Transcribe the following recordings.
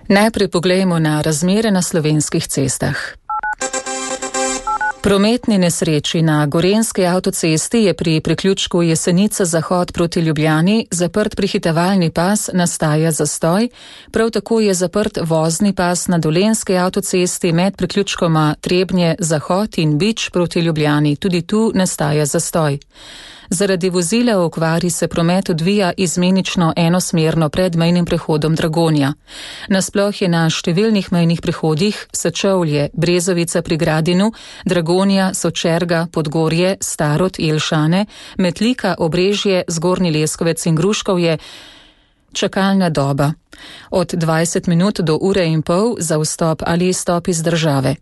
Najprej poglejmo na razmere na slovenskih cestah. Prometni nesreči na Gorenjski avtocesti je pri priključku Jesenice-Zahod proti Ljubljani zaprt prehitevalni pas, nastaja zastoj, prav tako je zaprt vozni pas na Dolenjski avtocesti med priključkoma Trebnje-Zahod in Bič proti Ljubljani, tudi tu nastaja zastoj. Zaradi vozila v okvari se promet odvija izmenično enosmerno pred mejnim prehodom Dragonja. Nasploh je na številnih mejnih prehodih Sečovlje, Brezovica pri Gradinu, Dragonja, Sočerga, Podgorje, Starod, Jelšane, Metlika, Obrežje, Zgornji Leskovec in Gruškovje čakalna doba. Od 20 minut do ure in pol za vstop ali izstop iz države.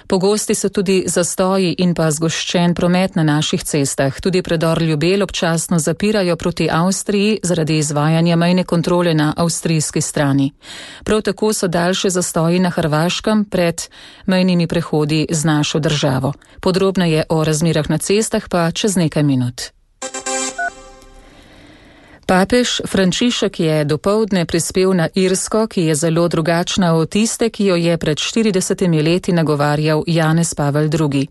Pogosti so tudi zastoji in pa zgoščen promet na naših cestah. Tudi predor Ljubelj občasno zapirajo proti Avstriji zaradi izvajanja mejne kontrole na avstrijski strani. Prav tako so daljše zastoji na Hrvaškem pred mejnimi prehodi z našo državo. Podrobneje o razmerah na cestah pa čez nekaj minut. Papež Frančišek je dopoldne prispel na Irsko, ki je zelo drugačna od tiste, ki jo je pred 40 leti nagovarjal Janez Pavel II.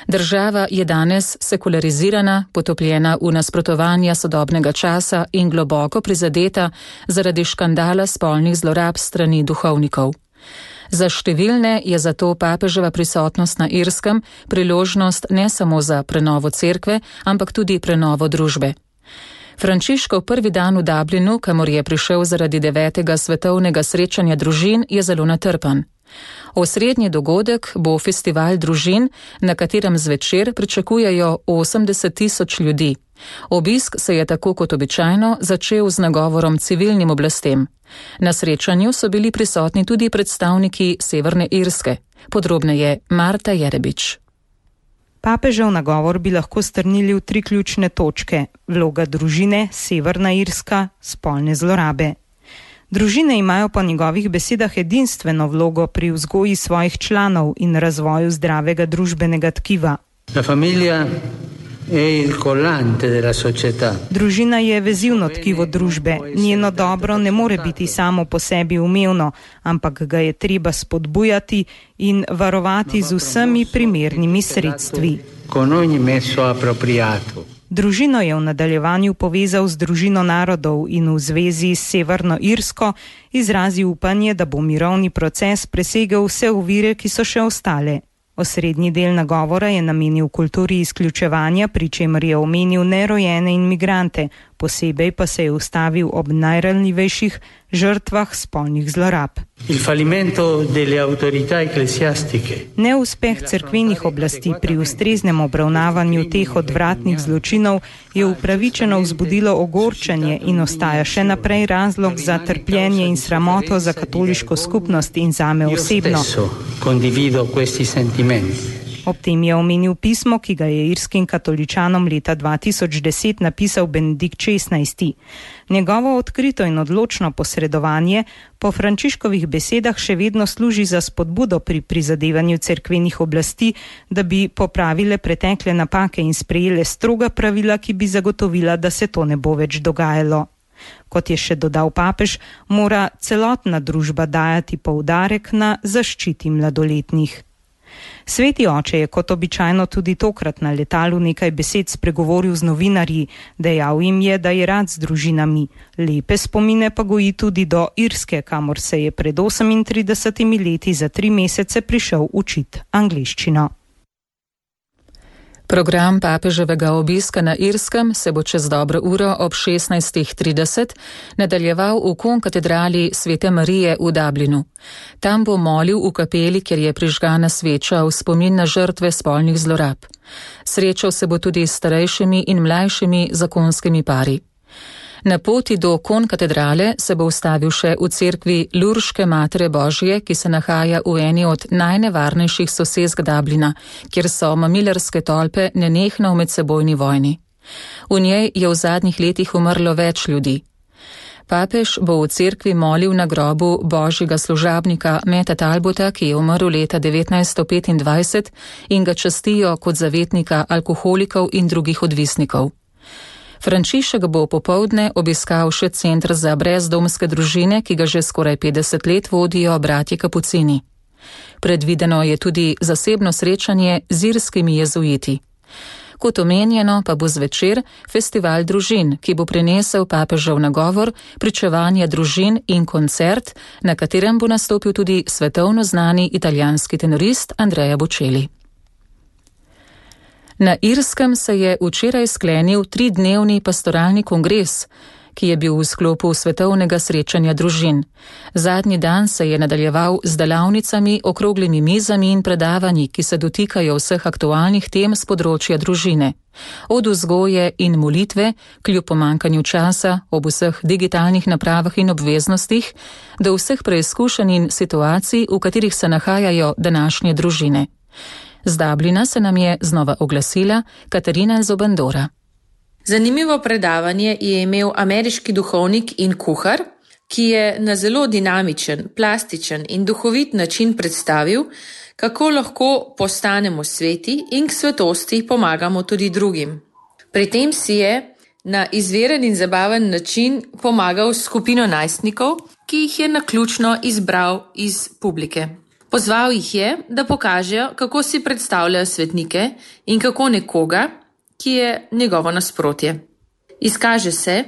Država je danes sekularizirana, potopljena v nasprotovanja sodobnega časa in globoko prizadeta zaradi škandala spolnih zlorab strani duhovnikov. Za številne je zato papeževa prisotnost na Irskem priložnost ne samo za prenovo cerkve, ampak tudi prenovo družbe. Frančiškov prvi dan v Dublinu, kamor je prišel zaradi 9. svetovnega srečanja družin, je zelo natrpan. Osrednji dogodek bo festival družin, na katerem zvečer pričakujejo 80.000 ljudi. Obisk se je tako kot običajno začel z nagovorom civilnim oblastem. Na srečanju so bili prisotni tudi predstavniki Severne Irske. Podrobneje Marta Jerebič. Papežev nagovor bi lahko strnili v 3 ključne točke: vloga družine, Severna Irska, spolne zlorabe. Družine imajo po njegovih besedah edinstveno vlogo pri vzgoji svojih članov in razvoju zdravega družbenega tkiva. Družina je vezivno tkivo družbe, njeno dobro ne more biti samo po sebi umevno, ampak ga je treba spodbujati in varovati z vsemi primernimi sredstvi. Družino je v nadaljevanju povezal z družino narodov in v zvezi s Severno Irsko izrazil upanje, da bo mirovni proces presegel vse ovire, ki so še ostale. Osrednji del nagovora je namenil kulturi izključevanja, pri čemer je omenil nerojene in migrante, posebej pa se je ustavil ob najranljivejših žrtvah spolnih zlorab. Neuspeh cerkvenih oblasti pri ustreznem obravnavanju teh odvratnih zločinov je upravičeno vzbudilo ogorčenje in ostaja še naprej razlog za trpljenje in sramoto za katoliško skupnost in zame osebno. Ob tem je omenil pismo, ki ga je irskim katoličanom leta 2010 napisal Benedikt XVI. Njegovo odkrito in odločno posredovanje po Frančiškovih besedah še vedno služi za spodbudo pri prizadevanju cerkvenih oblasti, da bi popravile pretekle napake in sprejele stroga pravila, ki bi zagotovila, da se to ne bo več dogajalo. Kot je še dodal papež, mora celotna družba dajati poudarek na zaščiti mladoletnih. Sveti oče je kot običajno tudi tokrat na letalu nekaj besed spregovoril z novinarji, dejal jim je, da je rad z družinami. Lepe spomine pa goji tudi do Irske, kamor se je pred 38 leti za 3 mesece prišel učiti angleščino. Program papeževega obiska na Irskem se bo čez dobro uro ob 16:30 nadaljeval v konkatedrali Svete Marije v Dublinu. Tam bo molil v kapeli, kjer je prižgana sveča v spomin na žrtve spolnih zlorab. Srečal se bo tudi s starejšimi in mlajšimi zakonskimi pari. Na poti do konkatedrale se bo ustavil še v cerkvi Lurške Matere Božje, ki se nahaja v eni od najnevarnejših sosesk Dublina, kjer so mamilarske tolpe nenehno v medsebojni vojni. V njej je v zadnjih letih umrlo več ljudi. Papež bo v cerkvi molil na grobu božjega služabnika Meta Talbota, ki je umrl leta 1925 in ga častijo kot zavetnika alkoholikov in drugih odvisnikov. Frančišek bo popoldne obiskal še center za brezdomske družine, ki ga že skoraj 50 let vodijo bratje kapucini. Predvideno je tudi zasebno srečanje z irskimi jezuiti. Kot omenjeno pa bo zvečer festival družin, ki bo prinesel papežev nagovor, pričevanje družin in koncert, na katerem bo nastopil tudi svetovno znani italijanski tenorist Andrea Bocelli. Na Irskem se je včeraj sklenil 3-dnevni pastoralni kongres, ki je bil v sklopu svetovnega srečanja družin. Zadnji dan se je nadaljeval z delavnicami, okroglimi mizami in predavanji, ki se dotikajo vseh aktualnih tem z področja družine. Od vzgoje in molitve, kljub pomankanju časa, ob vseh digitalnih napravah in obveznostih, do vseh preizkušenj in situacij, v katerih se nahajajo današnje družine. Z Dublina se nam je znova oglasila Katarina Zobandora. Zanimivo predavanje je imel ameriški duhovnik in kuhar, ki je na zelo dinamičen, plastičen in duhovit način predstavil, kako lahko postanemo sveti in k svetosti pomagamo tudi drugim. Pri tem si je na izveren in zabaven način pomagal skupino najstnikov, ki jih je naključno izbral iz publike. Pozval jih je, da pokažejo, kako si predstavljajo svetnike in kako nekoga, ki je njegovo nasprotje. Izkaže se,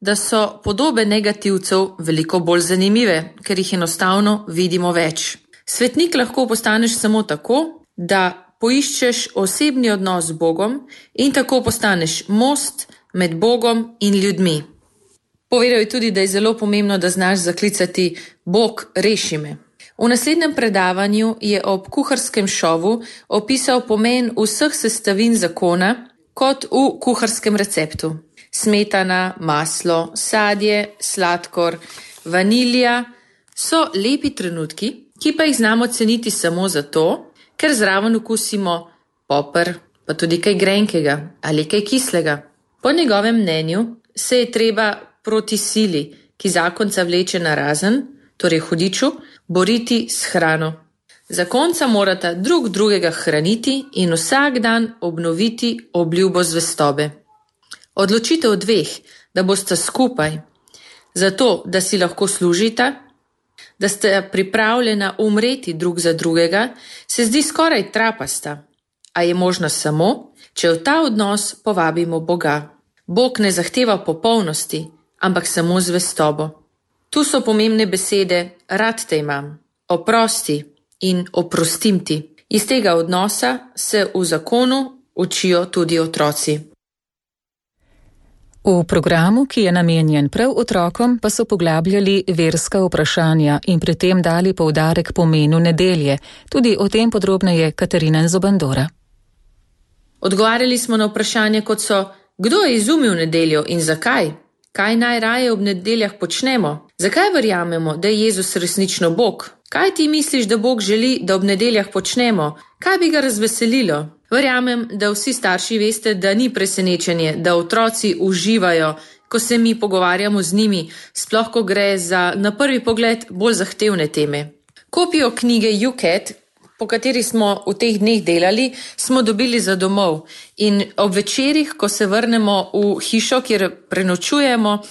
da so podobe negativcev veliko bolj zanimive, ker jih enostavno vidimo več. Svetnik lahko postaneš samo tako, da poiščeš osebni odnos z Bogom in tako postaneš most med Bogom in ljudmi. Povedal je tudi, da je zelo pomembno, da znaš zaklicati Bog, reši me. V naslednjem predavanju je ob kuharskem šovu opisal pomen vseh sestavin zakona kot v kuharskem receptu. Smetana, maslo, sadje, sladkor, vanilija so lepi trenutki, ki pa jih znamo ceniti samo zato, ker zraven okusimo poper, pa tudi kaj grenkega ali kaj kislega. Po njegovem mnenju se je treba proti sili, ki zakonca vleče na razen, torej hudiču, boriti s hrano. Zakonca morata drug drugega hraniti in vsak dan obnoviti obljubo zvestobe. Odločitev dveh, da bosta skupaj, zato da si lahko služita, da sta pripravljena umreti drug za drugega, se zdi skoraj trapasta, a je možno samo, če v ta odnos povabimo Boga. Bog ne zahteva popolnosti, ampak samo zvestobo. Tu so pomembne besede rad te imam, oprosti in oprostim ti. Iz tega odnosa se v zakonu učijo tudi otroci. V programu, ki je namenjen prav otrokom, pa so poglabljali verska vprašanja in pri tem dali poudarek pomenu nedelje. Tudi o tem podrobneje Katarina Zobandora. Odgovarjali smo na vprašanje, kot so, kdo je izumil nedeljo in zakaj? Kaj najraje ob nedeljah počnemo? Zakaj verjamemo, da je Jezus resnično Bog? Kaj ti misliš, da Bog želi, da ob nedeljah počnemo? Kaj bi ga razveselilo? Verjamem, da vsi starši veste, da ni presenečenje, da otroci uživajo, ko se mi pogovarjamo z njimi, sploh ko gre za na prvi pogled bolj zahtevne teme. Kopijo knjige YouCat, po kateri smo v teh dneh delali, smo dobili za domov in ob večerih, ko se vrnemo v hišo, kjer prenočujemo,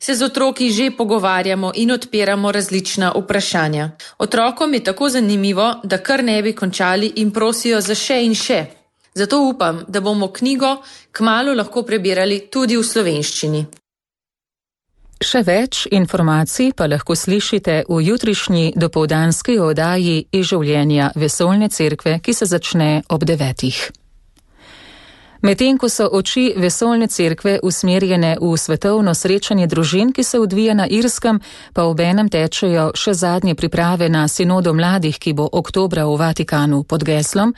se z otroki že pogovarjamo in odpiramo različna vprašanja. Otrokom je tako zanimivo, da kar ne bi končali in prosijo za še in še. Zato upam, da bomo knjigo kmalu lahko prebirali tudi v slovenščini. Še več informacij pa lahko slišite v jutrišnji dopoldanski oddaji iz življenja Vesoljne cerkve, ki se začne ob 9. Medtem ko so oči Vesoljne cerkve usmerjene v svetovno srečanje družin, ki se odvija na Irskem, pa obenem tečejo še zadnje priprave na sinodo mladih, ki bo oktobra v Vatikanu pod geslom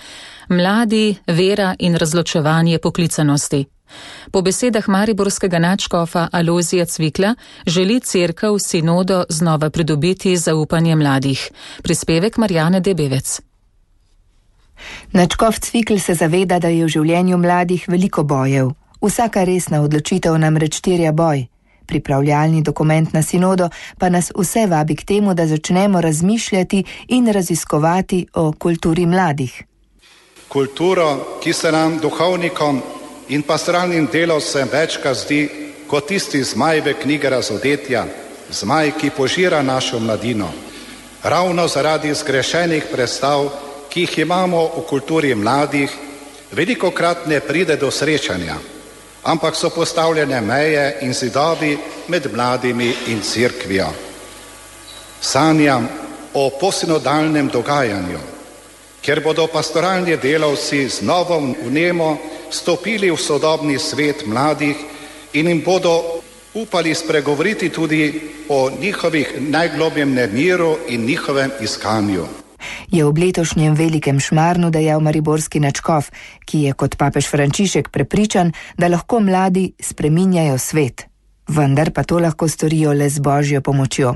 Mladi, vera in razločevanje poklicanosti. Po besedah mariborskega nadškofa Alojzija Cvikla želi cerkev sinodo znova pridobiti zaupanje mladih. Prispevek Marjane Debevec. Nadškof Cvikl se zaveda, da je v življenju mladih veliko bojev. Vsaka resna odločitev namreč terja boj. Pripravljalni dokument na sinodo pa nas vse vabi k temu, da začnemo razmišljati in raziskovati o kulturi mladih. Kultura, ki se nam duhovnikom in pastoralnim delavcem večkrat zdi kot tisti zmaj v knjigi Razodetja, zmaj, ki požira našo mladino. Ravno zaradi zgrešenih predstav, ki jih imamo v kulturi mladih, velikokrat ne pride do srečanja, ampak so postavljene meje in zidovi med mladimi in cerkvijo. Sanjam o posinodalnem dogajanju, kjer bodo pastoralni delavci z novo vnemo stopili v sodobni svet mladih in jim bodo upali spregovoriti tudi o njihovih najglobjem nemiru in njihovem iskanju. Je ob letošnjem velikem šmarnu dejal mariborski nadškof, ki je kot papež Frančišek prepričan, da lahko mladi spreminjajo svet. Vendar pa to lahko storijo le z Božjo pomočjo.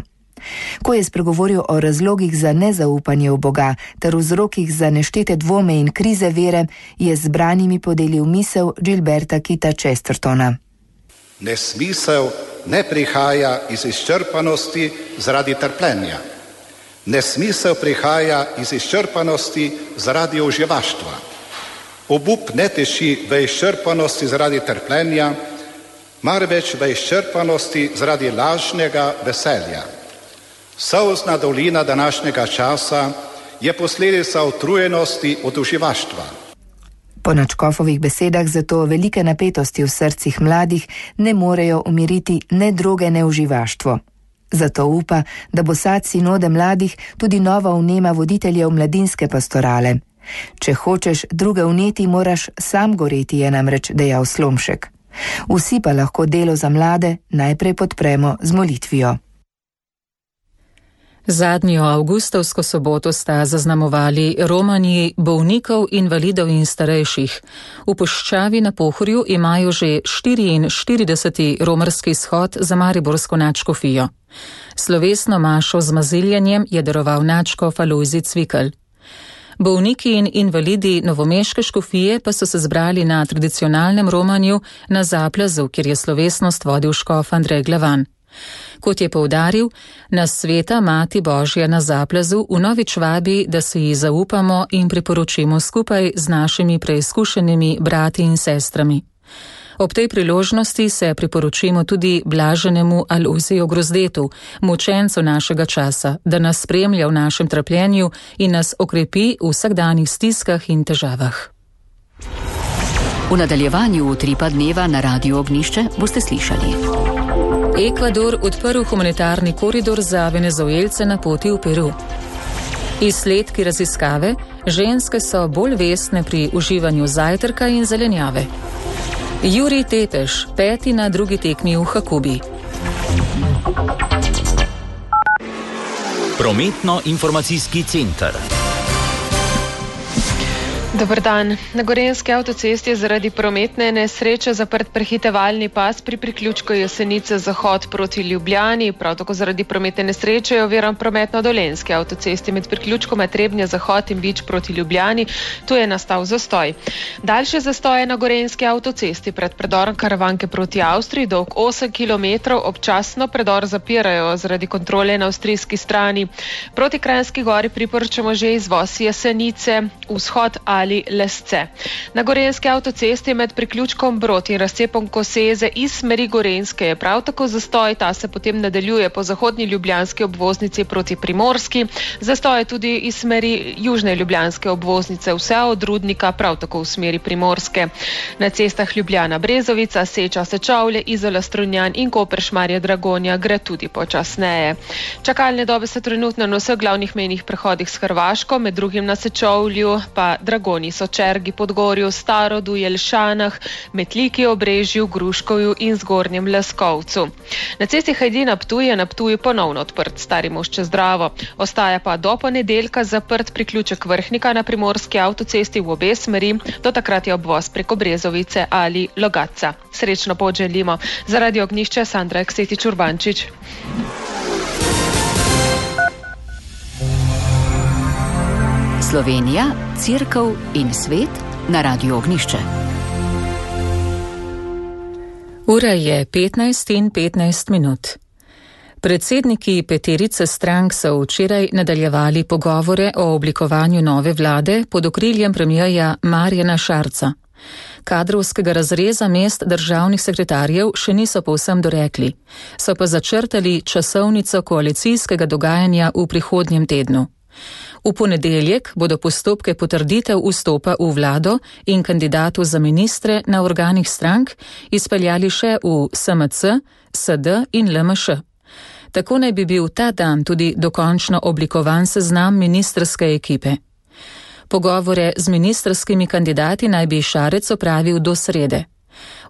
Ko je spregovoril o razlogih za nezaupanje v Boga ter vzrokih za neštete dvome in krize vere, je z zbranimi podelil misel Gilberta Kita Chestertona. Nesmisel ne prihaja iz izčrpanosti zaradi trpljenja. Nesmisel prihaja iz izčrpanosti zaradi uživaštva. Obup ne teši v izčrpanosti zaradi trpljenja, marveč v izčrpanosti zaradi lažnega veselja. Solzna dolina današnjega časa je posledica utrujenosti od uživaštva. Po nadškofovih besedah zato velike napetosti v srcih mladih ne morejo umiriti ne droge, ne uživaštvo. Zato upa, da bo sad sinode mladih tudi nova vnema voditeljev mladinske pastorale. Če hočeš druge vneti, moraš sam goreti, je namreč dejal Slomšek. Vsi pa lahko delo za mlade najprej podpremo z molitvijo. Zadnjo avgustovsko soboto sta zaznamovali romanji bolnikov, invalidov in starejših. V Puščavi na Pohorju imajo že 44. romarski shod za mariborsko nadškofijo. Slovesno mašo z maziljanjem je daroval nadškof Alojzij Cvikl. Bolniki in invalidi novomeške škofije pa so se zbrali na tradicionalnem romanju na Zaplazu, kjer je slovesnost vodil škof Andrej Glavan. Kot je poudaril, nas sveta Mati Božja na Zaplazu vnovič vabi, da se ji zaupamo in priporočimo skupaj z našimi preizkušenimi brati in sestrami. Ob tej priložnosti se priporočimo tudi blaženemu Alojziju Grozdetu, mučencu našega časa, da nas spremlja v našem trpljenju in nas okrepi v vsakdanjih stiskah in težavah. V nadaljevanju Utripa dneva na Radiu Ognjišče boste slišali. Ekvador odprl humanitarni koridor za Venezuelce na poti v Peru. Izsledki raziskave, ženske so bolj vestne pri uživanju zajtrka in zelenjave. Jurij Tepeš, 5. na drugi tekmi v Hakubi. Prometno-informacijski center. Dober dan. Na Gorenjski avtocesti je zaradi prometne nesreče zaprt prehitevalni pas pri priključku Jesenice zahod proti Ljubljani. Prav tako zaradi prometne nesreče je oviran promet na Dolenjski avtocesti med priključkoma Trebnje zahod in Vič proti Ljubljani. Tu je nastal zastoj. Daljše zastoje na Gorenjski avtocesti pred predorom Karavanke proti Avstriji, dolg 8 km, občasno predor zapirajo zaradi kontrole na avstrijski strani. Proti Kranjski gori priporočamo že izvoz Jesenice, vzhod ali Lesce. Na Gorenjski avtocesti med priključkom Brod in razcepom Koseze iz smeri Gorenjske je prav tako zastoj, ta se potem nadaljuje po zahodni ljubljanski obvoznici proti Primorski, zastoj tudi iz smeri južne ljubljanske obvoznice, vse od Rudnika prav tako v smeri Primorske. Na cestah Ljubljana Brezovica, Seča Sečovlje, Izola Strunjan in Koper Šmarje Dragonja gre tudi počasneje. Čakalne dobe so trenutno na vseh glavnih mejnih prehodih s Hrvaško, med drugim na Sečovlju pa Dragoni, Sočergi, Podgorju, Starodu, Jelšanah, Metliki, Obrežju, Gruškovju in Zgornjem Leskovcu. Na cesti Hajdina-Ptuj je na Ptuju ponovno odprt Stari most čez Dravo. Ostaja pa do ponedeljka zaprt priključek Vrhnika na Primorski avtocesti v obe smeri, do takrat je obvoz preko Brezovice ali Logatca. Srečno pot želimo. Za Radio Ognjišče Sandra Eksetič Urbančič. Slovenija, Cerkev in svet na Radiu Ognjišče. Ura je 15:15. Predsedniki peterice strank so včeraj nadaljevali pogovore o oblikovanju nove vlade pod okriljem premierja Marjana Šarca. Kadrovskega razreza mest državnih sekretarjev še niso povsem dorekli, so pa začrtali časovnico koalicijskega dogajanja v prihodnjem tednu. V ponedeljek bodo postopke potrditev vstopa v vlado in kandidatu za ministre na organih strank izpeljali še v SMC, SD in LMŠ. Tako naj bi bil ta dan tudi dokončno oblikovan seznam ministrske ekipe. Pogovore z ministrskimi kandidati naj bi Šarec opravil do srede.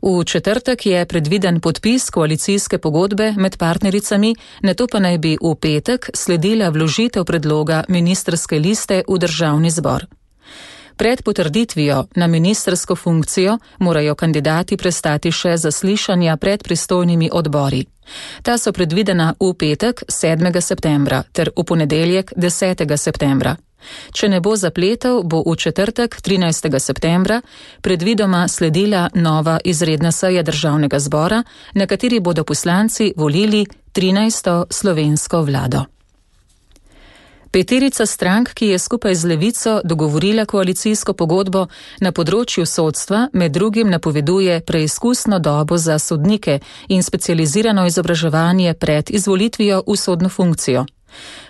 V četrtek je predviden podpis koalicijske pogodbe med partnericami, nato pa naj bi v petek sledila vložitev predloga ministrske liste v državni zbor. Pred potrditvijo na ministrsko funkcijo morajo kandidati prestati še zaslišanja pred pristojnimi odbori. Ta so predvidena v petek 7. septembra ter v ponedeljek 10. septembra. Če ne bo zapletov, bo v četrtek 13. septembra predvidoma sledila nova izredna seja državnega zbora, na kateri bodo poslanci volili 13. slovensko vlado. Peterica strank, ki je skupaj z Levico dogovorila koalicijsko pogodbo na področju sodstva, med drugim napoveduje preizkusno dobo za sodnike in specializirano izobraževanje pred izvolitvijo v sodno funkcijo.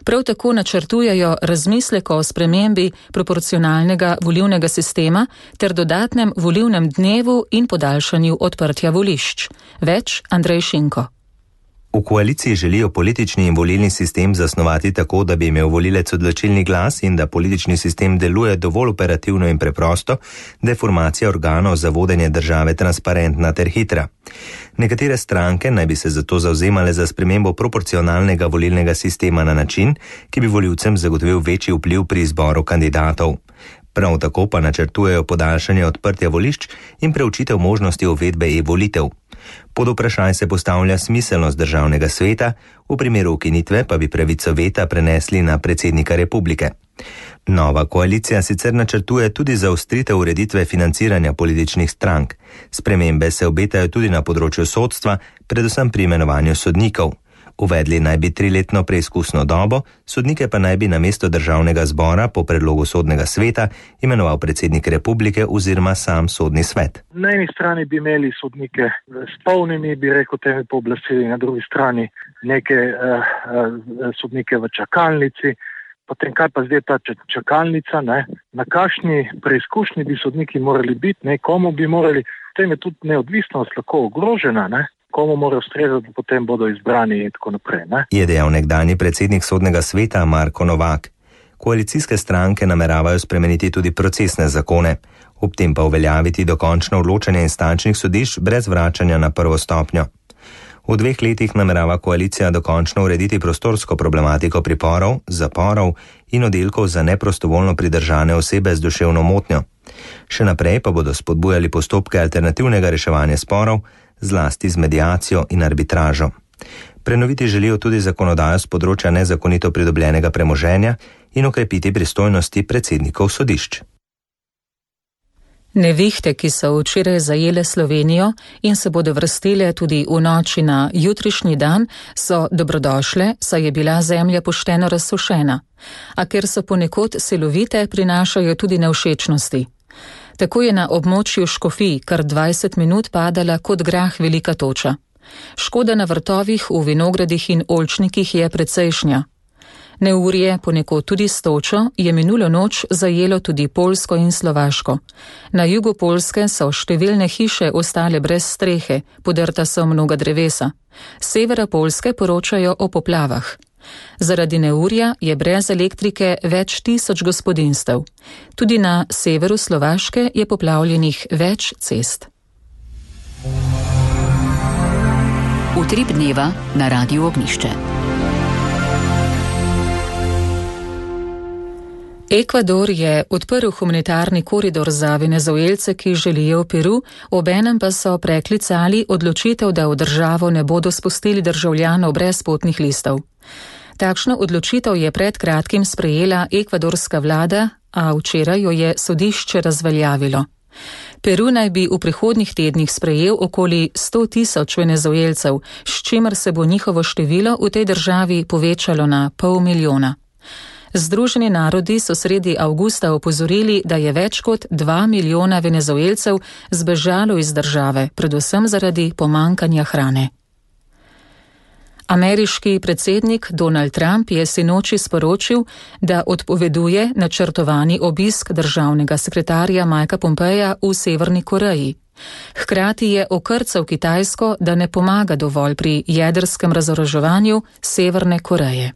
Prav tako načrtujejo razmislek o spremembi proporcionalnega volilnega sistema ter dodatnem volilnem dnevu in podaljšanju odprtja volišč. Več Andrej Šinko. V koaliciji želijo politični in volilni sistem zasnovati tako, da bi imel volilec odločilni glas in da politični sistem deluje dovolj operativno in preprosto, da je formacija organov za vodenje države transparentna ter hitra. Nekatere stranke naj bi se zato zavzemale za spremembo proporcionalnega volilnega sistema na način, ki bi volivcem zagotovil večji vpliv pri izboru kandidatov. Prav tako pa načrtujejo podaljšanje odprtja volišč in preučitev možnosti uvedbe e-volitev. Pod vprašaj se postavlja smiselnost državnega sveta, v primeru ukinitve pa bi pravico veta prenesli na predsednika republike. Nova koalicija sicer načrtuje tudi zaostritev ureditve financiranja političnih strank. Spremembe se obetajo tudi na področju sodstva, predvsem pri imenovanju sodnikov. Uvedli naj bi 3-letno preizkusno dobo, sodnike pa naj bi na mesto državnega zbora po predlogu sodnega sveta imenoval predsednik republike oziroma sam sodni svet. Na eni strani bi imeli sodnike s polnimi, bi rekel, temi pooblastili, na drugi strani neke sodnike v čakalnici. Potem kaj pa zdaj ta čakalnica, ne? Na kakšni preizkušnji bi sodniki morali biti, ne? Komu bi morali, potem je tudi neodvisnost lahko ogrožena, ne? Komu morajo ustrezati, potem bodo izbrani in tako naprej. Ne? Je dejal nekdanji predsednik sodnega sveta Marko Novak. Koalicijske stranke nameravajo spremeniti tudi procesne zakone, ob tem pa uveljaviti dokončno odločanje instančnih sodišč brez vračanja na prvo stopnjo. V 2 letih namerava koalicija dokončno urediti prostorsko problematiko priporov, zaporov in oddelkov za neprostovoljno pridržane osebe z duševno motnjo. Še naprej pa bodo spodbujali postopke alternativnega reševanja sporov, zlasti z mediacijo in arbitražo. Prenoviti želijo tudi zakonodajo z področja nezakonito pridobljenega premoženja in okrepiti pristojnosti predsednikov sodišč. Nevihte, ki so včeraj zajele Slovenijo in se bodo vrstile tudi v noči na jutrišnji dan, so dobrodošle, saj je bila zemlja pošteno razsušena. A ker so ponekod silovite, prinašajo tudi nevšečnosti. Tako je na območju Škofij kar 20 minut padala kot grah velika toča. Škoda na vrtovih, v vinogradih in oljčnikih je precejšnja. Neurje, ponekod tudi s točo, je minulo noč zajelo tudi Poljsko in Slovaško. Na jugu Poljske so številne hiše ostale brez strehe, podrta so mnoga drevesa. S severa Poljske poročajo o poplavah. Zaradi neurja je brez elektrike več tisoč gospodinjstev. Tudi na severu Slovaške je poplavljenih več cest. Utrip dneva na Radiu Ognišče. Ekvador je odprl humanitarni koridor za Venezuelce, ki želijo v Peru, obenem pa so preklicali odločitev, da v državo ne bodo spustili državljanov brez potnih listov. Takšno odločitev je pred kratkim sprejela ekvadorska vlada, a včeraj jo je sodišče razveljavilo. Peru naj bi v prihodnjih tednih sprejel okoli 100.000 Venezuelcev, s čimer se bo njihovo število v tej državi povečalo na 500.000. Združeni narodi so sredi avgusta opozorili, da je več kot 2 milijona Venezuelcev zbežalo iz države, predvsem zaradi pomankanja hrane. Ameriški predsednik Donald Trump je sinoči sporočil, da odpoveduje načrtovani obisk državnega sekretarja Mikea Pompeja v Severni Koreji. Hkrati je okrcal Kitajsko, da ne pomaga dovolj pri jedrskem razoroževanju Severne Koreje.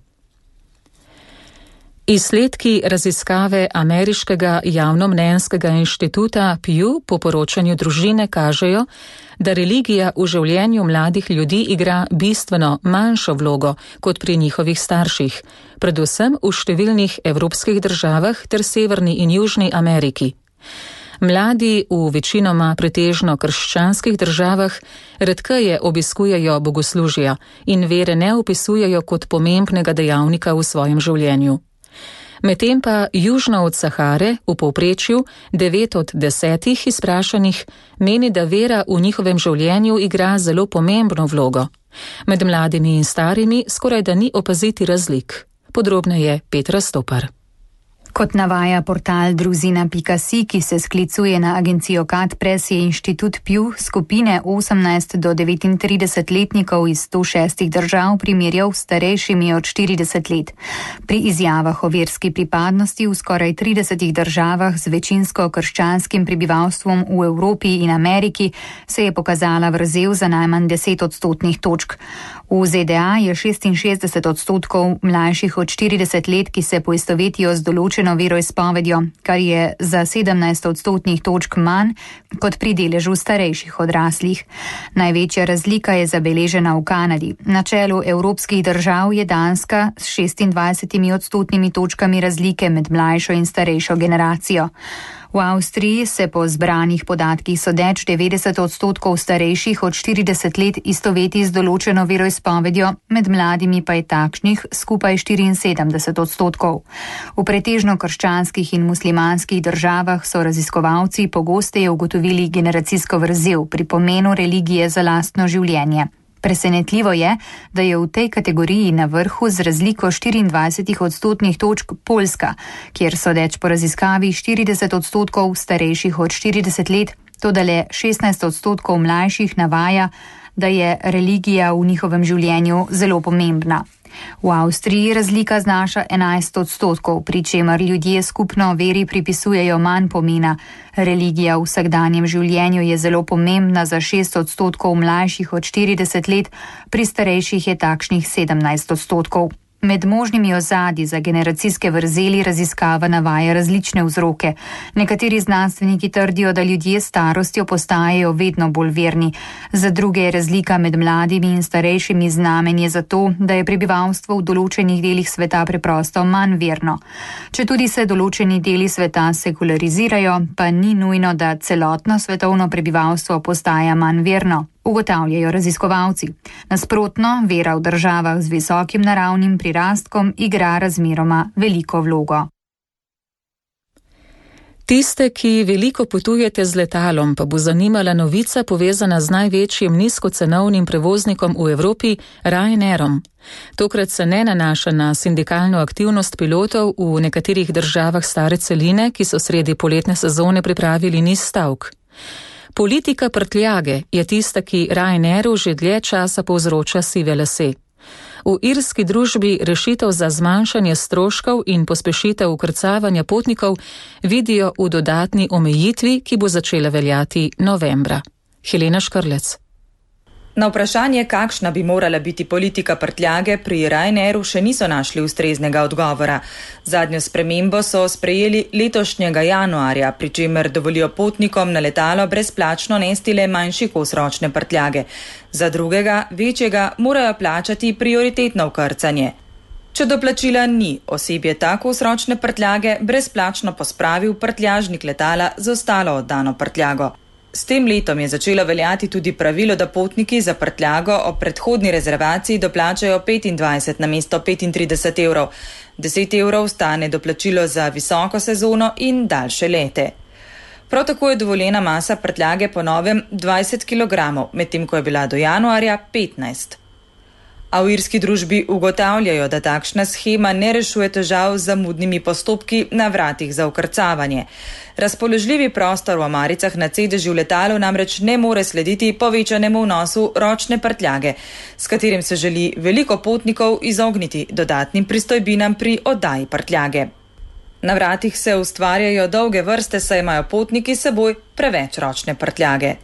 Izsledki raziskave ameriškega javnomnenjskega inštituta Pew po poročanju družine kažejo, da religija v življenju mladih ljudi igra bistveno manjšo vlogo kot pri njihovih starših, predvsem v številnih evropskih državah ter Severni in Južni Ameriki. Mladi v večinoma pretežno krščanskih državah redkeje obiskujejo bogoslužja in vere ne opisujejo kot pomembnega dejavnika v svojem življenju. Medtem pa južno od Sahare v povprečju 9 od 10 izprašanih meni, da vera v njihovem življenju igra zelo pomembno vlogo. Med mladimi in starimi skoraj da ni opaziti razlik. Podrobneje Petra Stopar. Kot navaja portal druzina.si, ki se sklicuje na agencijo Katpres, je inštitut Pew skupine 18 do 39-letnikov iz 106 držav primerjal s starejšimi od 40 let. Pri izjavah o verski pripadnosti v skoraj 30 državah z večinsko krščanskim prebivalstvom v Evropi in Ameriki se je pokazala vrzel za najmanj 10 odstotnih točk. V ZDA je 66 odstotkov mlajših od 40 let, ki se poistovetijo z določeno veroizpovedjo, kar je za 17 odstotnih točk manj kot pri deležu starejših odraslih. Največja razlika je zabeležena v Kanadi. Na čelu evropskih držav je Danska s 26 odstotnimi točkami razlike med mlajšo in starejšo generacijo. V Avstriji se po zbranih podatkih sodeč 90 odstotkov starejših od 40 let istoveti z določeno veroizpovedjo, med mladimi pa je takšnih skupaj 74 odstotkov. V pretežno krščanskih in muslimanskih državah so raziskovalci pogosteje ugotovili generacijsko vrzel pri pomenu religije za lastno življenje. Presenetljivo je, da je v tej kategoriji na vrhu z razliko 24 odstotnih točk Poljska, kjer sodeč po raziskavi 40 odstotkov starejših od 40 let, toda le 16 odstotkov mlajših navaja, da je religija v njihovem življenju zelo pomembna. V Avstriji razlika znaša 11 odstotkov, pri čemer ljudje skupno veri pripisujejo manj pomena. Religija v vsakdanjem življenju je zelo pomembna za 6 odstotkov mlajših od 40 let, pri starejših je takšnih 17 odstotkov. Med možnimi ozadji za generacijske vrzeli raziskava navaja različne vzroke. Nekateri znanstveniki trdijo, da ljudje s starostjo postajajo vedno bolj verni. Za druge je razlika med mladimi in starejšimi znamenje za to, da je prebivalstvo v določenih delih sveta preprosto manj verno. Četudi se določeni deli sveta sekularizirajo, pa ni nujno, da celotno svetovno prebivalstvo postaja manj verno. Ugotavljajo raziskovalci. Nasprotno, vera v državah z visokim naravnim prirastkom igra razmeroma veliko vlogo. Tiste, ki veliko potujete z letalom, pa bo zanimala novica povezana z največjim nizkocenovnim prevoznikom v Evropi, Ryanairom. Tokrat se ne nanaša na sindikalno aktivnost pilotov v nekaterih državah stare celine, ki so sredi poletne sezone pripravili niz stavk. Politika prtljage je tista, ki Ryanairu že dlje časa povzroča sive lase. V irski družbi rešitev za zmanjšanje stroškov in pospešitev vkrcavanja potnikov vidijo v dodatni omejitvi, ki bo začela veljati novembra. Helena Škrlec. Na vprašanje, kakšna bi morala biti politika prtljage, pri Ryanairu še niso našli ustreznega odgovora. Zadnjo spremembo so sprejeli letošnjega januarja, pri čemer dovolijo potnikom na letalo brezplačno nesti le manjši kos ročne prtljage. Za drugega, večjega, morajo plačati prioritetno vkrcanje. Če doplačila ni, osebje ta kos ročne prtljage brezplačno pospravi v prtljažnik letala z ostalo oddano prtljago. S tem letom je začelo veljati tudi pravilo, da potniki za prtljago ob predhodni rezervaciji doplačajo 25 namesto 35 evrov. 10 evrov stane doplačilo za visoko sezono in daljše lete. Prav tako je dovoljena masa prtljage po novem 20 kg, medtem ko je bila do januarja 15. A v irski družbi ugotavljajo, da takšna shema ne rešuje težav z zamudnimi postopki na vratih za vkrcavanje. Razpoložljivi prostor v omaricah na sedežu v letalu namreč ne more slediti povečanemu vnosu ročne prtljage, s katerim se želi veliko potnikov izogniti dodatnim pristojbinam pri oddaji prtljage. Na vratih se ustvarjajo dolge vrste, saj imajo potniki s seboj preveč ročne prtljage.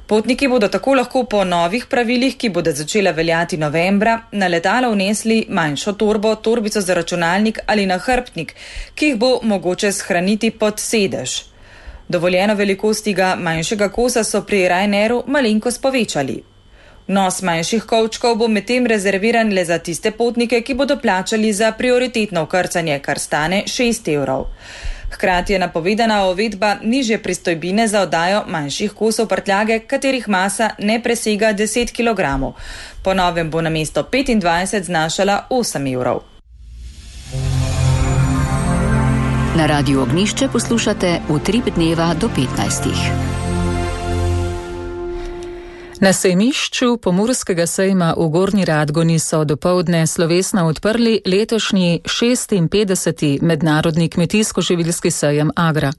Potniki bodo tako lahko po novih pravilih, ki bodo začela veljati novembra, na letalo vnesli manjšo torbo, torbico za računalnik ali nahrbtnik, ki jih bo mogoče shraniti pod sedež. Dovoljeno velikost tega manjšega kosa so pri Ryanairu malenkost povečali. Vnos manjših kovčkov bo medtem rezerviran le za tiste potnike, ki bodo plačali za prioritetno vkrcanje, kar stane 6 €. Hkrati je napovedana uvedba nižje pristojbine za oddajo manjših kosov prtljage, katerih masa ne presega 10 kg. Po novem bo namesto 25 znašala 8 €. Na Radiu Ognišče poslušate Utrip dneva do 15. Na sejmišču Pomurskega sejma v Gornji Radgoni so dopoldne slovesno odprli letošnji 56. mednarodni kmetijsko-živilski sejem Agra.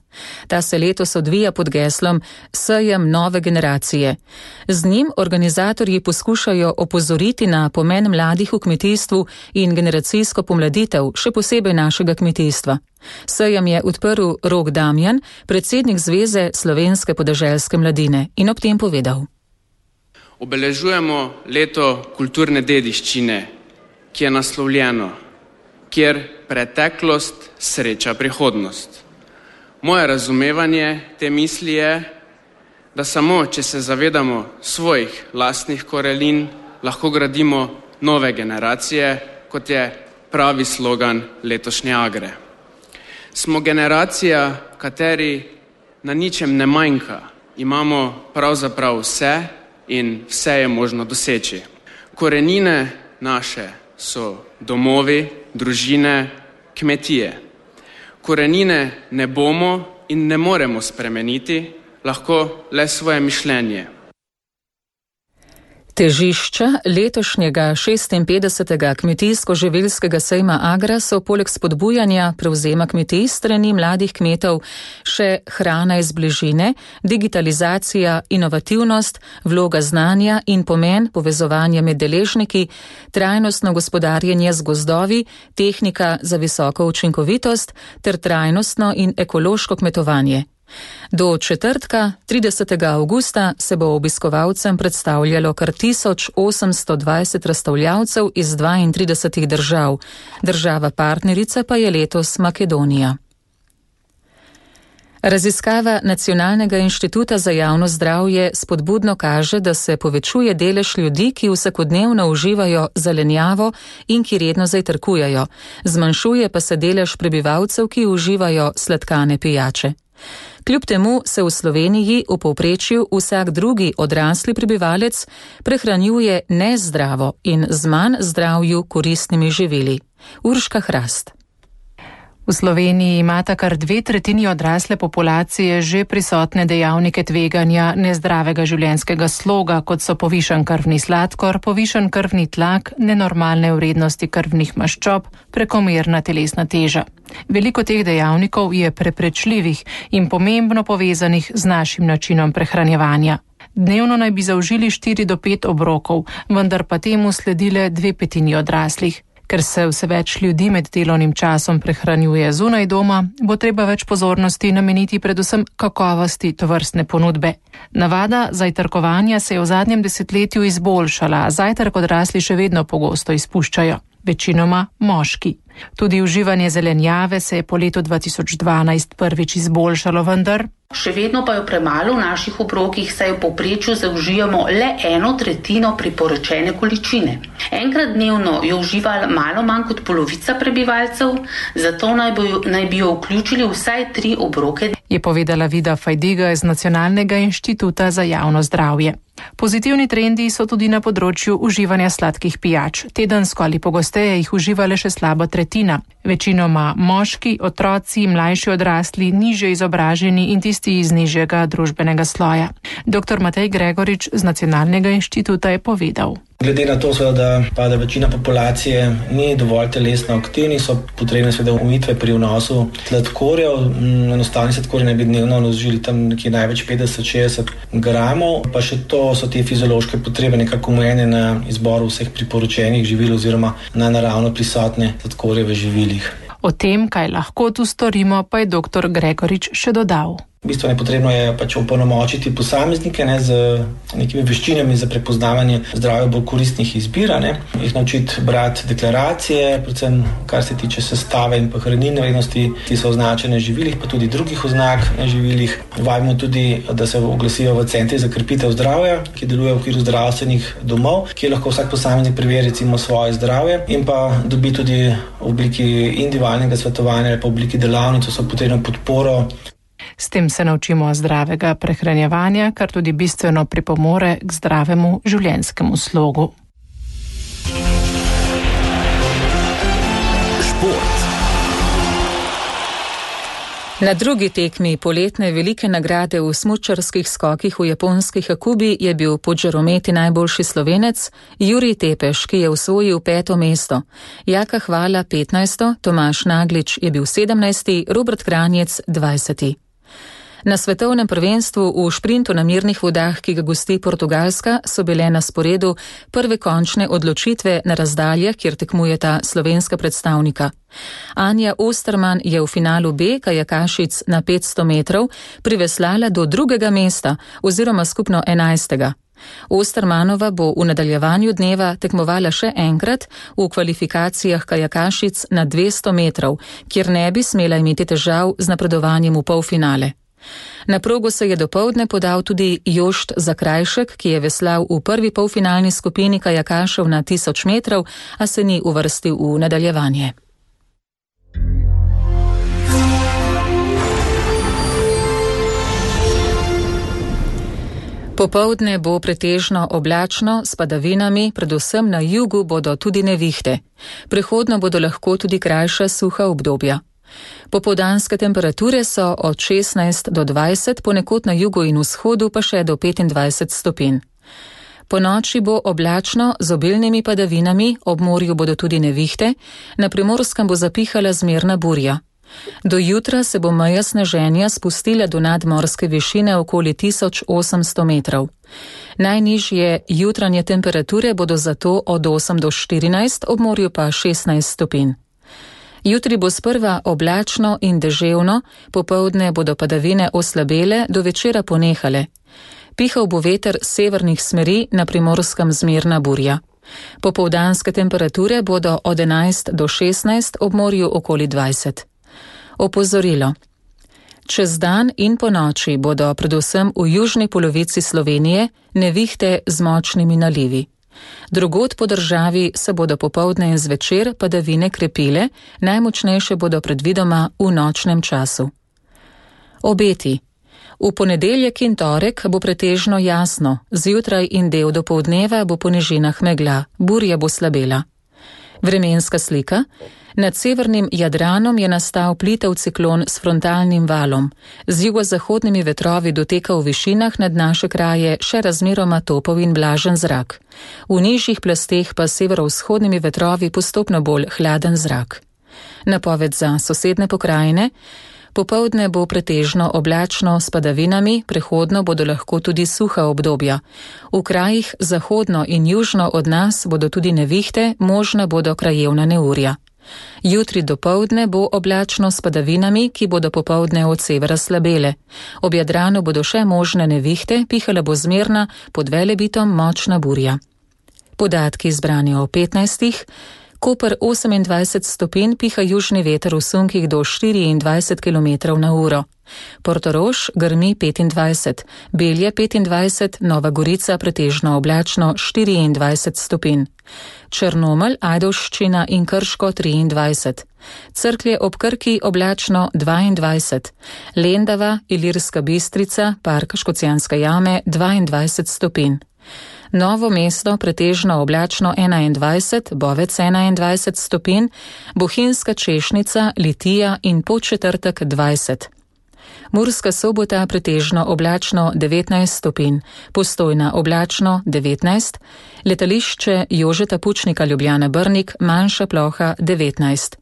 Ta se letos odvija pod geslom Sejem nove generacije. Z njim organizatorji poskušajo opozoriti na pomen mladih v kmetijstvu in generacijsko pomladitev, še posebej našega kmetijstva. Sejem je odprl Rok Damjan, predsednik Zveze slovenske podeželske mladine, in ob tem povedal. Obeležujemo leto kulturne dediščine, ki je naslovljeno, kjer preteklost sreča prihodnost. Moje razumevanje te misli je, da samo, če se zavedamo svojih lastnih korenin, lahko gradimo nove generacije, kot je pravi slogan letošnje Agre. Smo generacija, kateri na ničem ne manjka, imamo pravzaprav vse, in vse je možno doseči. Korenine naše so domovi, družine, kmetije. Korenine ne bomo in ne moremo spremeniti, lahko le svoje mišljenje. Težišča letošnjega 56. kmetijsko-živilskega sejma Agra so poleg spodbujanja prevzema kmetij strani mladih kmetov še hrana iz bližine, digitalizacija, inovativnost, vloga znanja in pomen povezovanja med deležniki, trajnostno gospodarjenje z gozdovi, tehnika za visoko učinkovitost ter trajnostno in ekološko kmetovanje. Do četrtka, 30. avgusta, se bo obiskovalcem predstavljalo kar 1820 razstavljavcev iz 32 držav. Država partnerica pa je letos Makedonija. Raziskava Nacionalnega inštituta za javno zdravje spodbudno kaže, da se povečuje delež ljudi, ki vsakodnevno uživajo zelenjavo in ki redno zajtrkujejo. Zmanjšuje pa se delež prebivalcev, ki uživajo sladkane pijače. Kljub temu se v Sloveniji v povprečju vsak drugi odrasli prebivalec prehranjuje nezdravo in z manj zdravju koristnimi živili. Urška Hrast. V Sloveniji imata kar 2/3 odrasle populacije že prisotne dejavnike tveganja nezdravega življenjskega sloga, kot so povišan krvni sladkor, povišan krvni tlak, nenormalne vrednosti krvnih maščob, prekomerna telesna teža. Veliko teh dejavnikov je preprečljivih in pomembno povezanih z našim načinom prehranjevanja. Dnevno naj bi zaužili 4 do 5 obrokov, vendar pa temu sledile 2/5 odraslih. Ker se vse več ljudi med delovnim časom prehranjuje zunaj doma, bo treba več pozornosti nameniti predvsem kakovosti tovrstne ponudbe. Navada zajtrkovanja se je v zadnjem desetletju izboljšala, zajtrk odrasli še vedno pogosto izpuščajo, večinoma moški. Tudi uživanje zelenjave se je po letu 2012 prvič izboljšalo, vendar še vedno pa jo premalo v naših obrokih, saj v povprečju zaužijamo le 1/3 priporočene količine. Enkrat dnevno jo uživa malo manj kot polovica prebivalcev, zato naj bi jo vključili vsaj 3 obroke. Je povedala Vida Fajdiga iz Nacionalnega inštituta za javno zdravje. Pozitivni trendi so tudi na področju uživanja sladkih pijač. Tedensko ali pogosteje jih uživa le še slaba tretjina. Večinoma moški, otroci, mlajši odrasli, nižje izobraženi in tisti iz nižjega družbenega sloja. Dr. Matej Gregorič z Nacionalnega inštituta je povedal. Glede na to, da večina populacije ni dovolj telesno aktivni, so potrebne omejitve pri vnosu sladkorjev. Enostavni sladkorji naj bi dnevno vložili tam nekje največ 50-60 gramov, pa še to so te fiziološke potrebe nekako omejene na izboru vseh priporočenih živil oziroma na naravno prisotne sladkorje v živilih. O tem, kaj lahko tu storimo, pa je dr. Gregorič še dodal. Bistveno potrebno je opolnomočiti posameznike z nekimi veščinami za prepoznavanje zdravja bolj koristnih izbir, jih naučiti brati deklaracije, predvsem kar se tiče sestave in pa hranilne vrednosti, ki so označene v živilih, pa tudi drugih oznak na živilih. Vabimo tudi, da se oglasijo v centri za krepitev zdravja, ki deluje v okviru zdravstvenih domov, kjer lahko vsak posameznik preveri recimo svoje zdravje in pa dobi tudi v obliki individualnega svetovanja ali pa v obliki delavnic so potrebno podporo. S tem se naučimo zdravega prehranjevanja, kar tudi bistveno pripomore k zdravemu življenjskemu slogu. Šport. Na drugi tekmi poletne velike nagrade v smučarskih skokih v japonski Hakubi je bil pod žarometi najboljši Slovenec Jurij Tepeš, ki je osvojil 5. mesto. Jaka Hvala 15., Tomaž Naglič je bil 17., Robert Kranjec 20. Na svetovnem prvenstvu v šprintu na mirnih vodah, ki ga gosti Portugalska, so bile na sporedu prve končne odločitve na razdaljah, kjer tekmujeta slovenska predstavnika. Anja Osterman je v finalu B kajakašic na 500 metrov priveslala do 2. mesta oziroma skupno 11. Ostermanova bo v nadaljevanju dneva tekmovala še enkrat v kvalifikacijah kajakašic na 200 metrov, kjer ne bi smela imeti težav z napredovanjem v polfinale. Na progo se je dopoldne podal tudi Jošt Zakrajšek, ki je veslal v prvi polfinalni skupini kajakašev na 1000 metrov, a se ni uvrstil v nadaljevanje. Popoldne bo pretežno oblačno s padavinami, predvsem na jugu bodo tudi nevihte. Prehodno bodo lahko tudi krajša suha obdobja. Popoldanske temperature so od 16 do 20, ponekod na jugu in vzhodu pa še do 25 stopinj. Po noči bo oblačno z obilnimi padavinami, ob morju bodo tudi nevihte, na Primorskem bo zapihala zmerna burja. Do jutra se bo meja sneženja spustila do nadmorske višine okoli 1800 metrov. Najnižje jutranje temperature bodo zato od 8 do 14, ob morju pa 16 stopinj. Jutri bo sprva oblačno in deževno, popoldne bodo padavine oslabele, do večera ponehale. Pihal bo veter severnih smeri, na Primorskem zmerna burja. Popoldanske temperature bodo od 11 do 16, ob morju okoli 20. Opozorilo. Čez dan in po noči bodo predvsem v južni polovici Slovenije nevihte z močnimi nalivi. Drugod po državi se bodo popoldne in zvečer padavine krepile, najmočnejše bodo predvidoma v nočnem času. Obeti. V ponedeljek in torek bo pretežno jasno, zjutraj in del dopoldneva bo po nižinah megla, burja bo slabela. Vremenska slika. Nad severnim Jadranom je nastal plitev ciklon s frontalnim valom. Z jugozahodnimi vetrovi doteka v višinah nad naše kraje še razmeroma topel in vlažen zrak. V nižjih plasteh pa severovzhodnimi vetrovi postopno bolj hladen zrak. Napoved za sosedne pokrajine. Popoldne bo pretežno oblačno s padavinami, prehodno bodo lahko tudi suha obdobja. V krajih zahodno in južno od nas bodo tudi nevihte, možna bodo krajevna neurja. Jutri dopoldne bo oblačno s padavinami, ki bodo popoldne od severa slabele. Ob Jadranu bodo še možne nevihte, pihala bo zmerna, pod Velebitom močna burja. Podatki zbrani o 15. Koper 28 stopinj, piha južni veter v sunkih do 24 km na uro. Portorož grmi 25, Belje 25, Nova Gorica pretežno oblačno 24 stopinj. Črnomelj, Ajdovščina in Krško 23. Cerklje ob Krki oblačno 22. Lendava, Ilirska Bistrica, Park Škocjanske jame 22 stopinj. Novo Mesto pretežno oblačno 21, Bovec 21 stopinj, Bohinjska Češnica, Litija in Podčetrtek 20. Murska Sobota pretežno oblačno 19 stopinj, Postojna oblačno 19, letališče Jožeta Pučnika Ljubljana Brnik manjša ploha 19.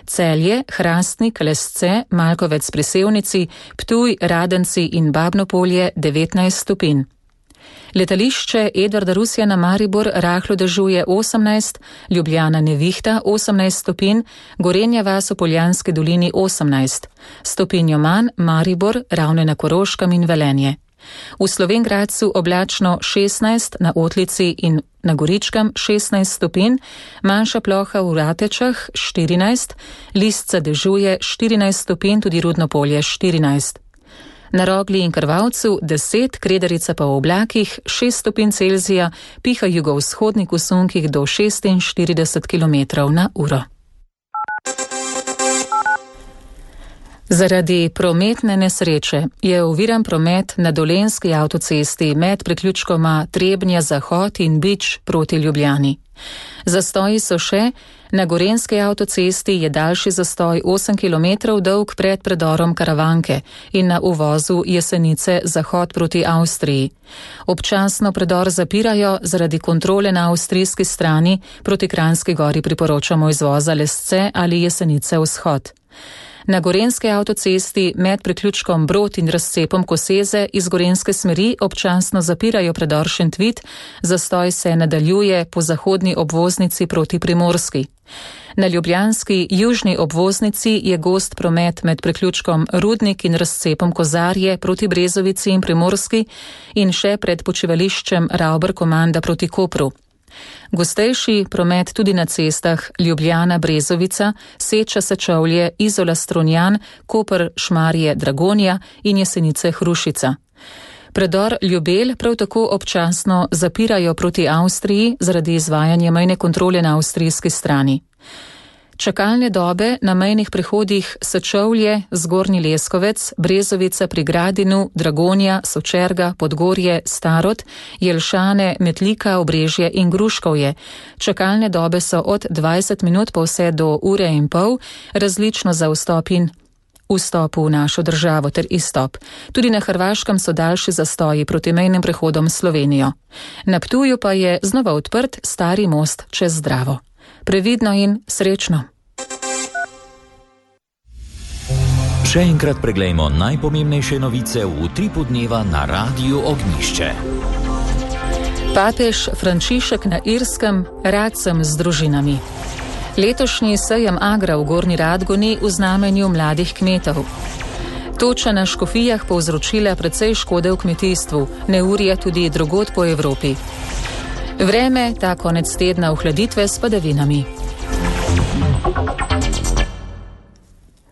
Celje, Hrastnik, Lesce, Malkovec pri Sevnici, Ptuj, Radenci in Babnopolje 19 stopinj. Letališče Edvarda Rusjana Maribor rahlo dežuje 18, Ljubljana nevihta 18 stopinj, Gorenja vas v Poljanski dolini 18, stopinjo manj Maribor, Ravne na Koroškem in Velenje. V Slovenj oblačno 16, na Otlici in na Goričkem 16 stopinj, manjša ploha v Ratečah 14, Listca dežuje 14 stopinj, tudi Rudno Polje 14. Na Rogli in Krvavcu 10, Kredarica pa v oblakih 6 stopinj Celzija, piha jugovzhodnik v sunkih do 46 km/h. Zaradi prometne nesreče je oviran promet na Dolenjski avtocesti med priključkoma Trebnje-Zahod in Bič proti Ljubljani. Zastoji so še, na Gorenjski avtocesti je daljši zastoj 8 km dolg pred predorom Karavanke in na uvozu Jesenice Zahod proti Avstriji. Občasno predor zapirajo zaradi kontrole na avstrijski strani, proti Kranjski Gori priporočamo izvoza Lesce ali Jesenice Vzhod. Na Gorenjski avtocesti med priključkom Brod in razcepom Koseze iz gorenjske smeri občasno zapirajo predor Šentvit, zastoj se nadaljuje po zahodni obvoznici proti Primorski. Na ljubljanski južni obvoznici je gost promet med priključkom Rudnik in razcepom Kozarje proti Brezovici in Primorski in še pred počivališčem Ravber-Komanda proti Kopru. Gostejši promet tudi na cestah Ljubljana-Brezovica, Seča-Sečovlje, Izola-Strunjan, Koper-Šmarje-Dragonja in Jesenice-Hrušica. Predor Ljubelj prav tako občasno zapirajo proti Avstriji zaradi izvajanja mejne kontrole na avstrijski strani. Čakalne dobe na mejnih prehodih Sečovlje, Zgornji Leskovec, Brezovica pri Gradinu, Dragonja, Sočerga, Podgorje, Starod, Jelšane, Metlika, Obrežje in Gruškovje. Čakalne dobe so od 20 minut pa vse do ure in pol, različno za vstop in vstop v našo državo ter izstop. Tudi na Hrvaškem so daljši zastoji proti mejnim prehodom Slovenijo. Na Ptuju pa je znova odprt stari most čez Dravo. Previdno in srečno. Še enkrat preglejmo najpomembnejše novice v utripu dneva na Radiu Ognjišče. Papež Frančišek na Irskem, rad sem z družinami. Letošnji sejem Agra v Gornji Radgoni v znamenju mladih kmetov. Toča na Škofijah povzročila precej škode v kmetijstvu, neurje tudi drugod po Evropi. Vreme, ta konec tedna ohladitve s padavinami.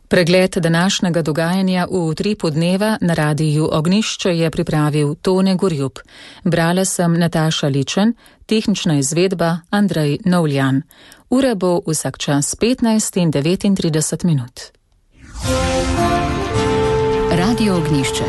Pregled današnjega dogajanja v utripu dneva na Radiju Ognjišče je pripravil Tone Gorjup. Brala sem Nataša Ličen, tehnična izvedba Andrej Novljan. Ura bo vsak čas 15 in 39 minut. Radio Ognjišče.